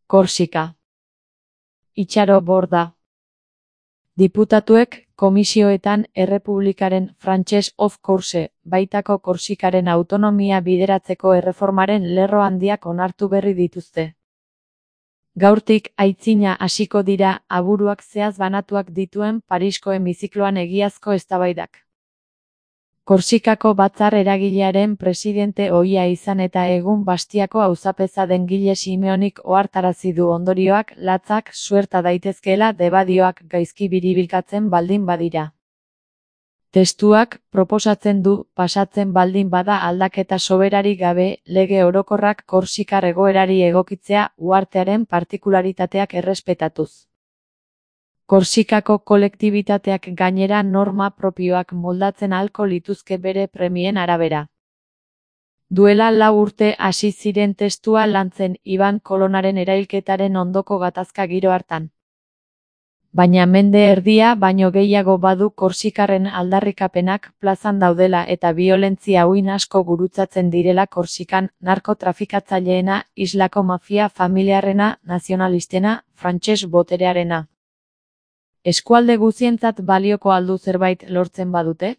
Korsika. Itxaro Borda. Diputatuek komisioetan Errepublikaren Frantses of Corse, baitako Korsikaren autonomia bideratzeko erreformaren lerro handiak onartu berri dituzte. Gaurtik aitzina hasiko dira aburuak zehaz banatuak dituen Parisko hemizikloan egiazko eztabaidak. Korsikako batzar eragilearen presidente ohia izan eta egun Bastiako auzapeza den Gile Simeonik ohartarazi du ondorioak latzak suerta daitezkeela debadioak gaizki biribilkatzen baldin badira. Testuak proposatzen du pasatzen baldin bada aldaketa soberarik gabe lege orokorrak korsikar egoerari egokitzea uhartearen partikularitateak errespetatuz. Korsikako kolektibitateak gainera norma propioak moldatzen ahalko lituzke bere premien arabera. Duela 4 urte hasi ziren testua lantzen Iban Kolonaren erailketaren ondoko gatazka giro hartan. Baina mende erdia baino gehiago badu korsikarren aldarrikapenak plazan daudela eta biolentzia uin asko gurutzatzen direla Korsikan narkotrafikatzaileena, islako mafia familiarrena, nazionalistena, frantses boterearena. Eskualde guzientzat balioko aldu zerbait lortzen badute?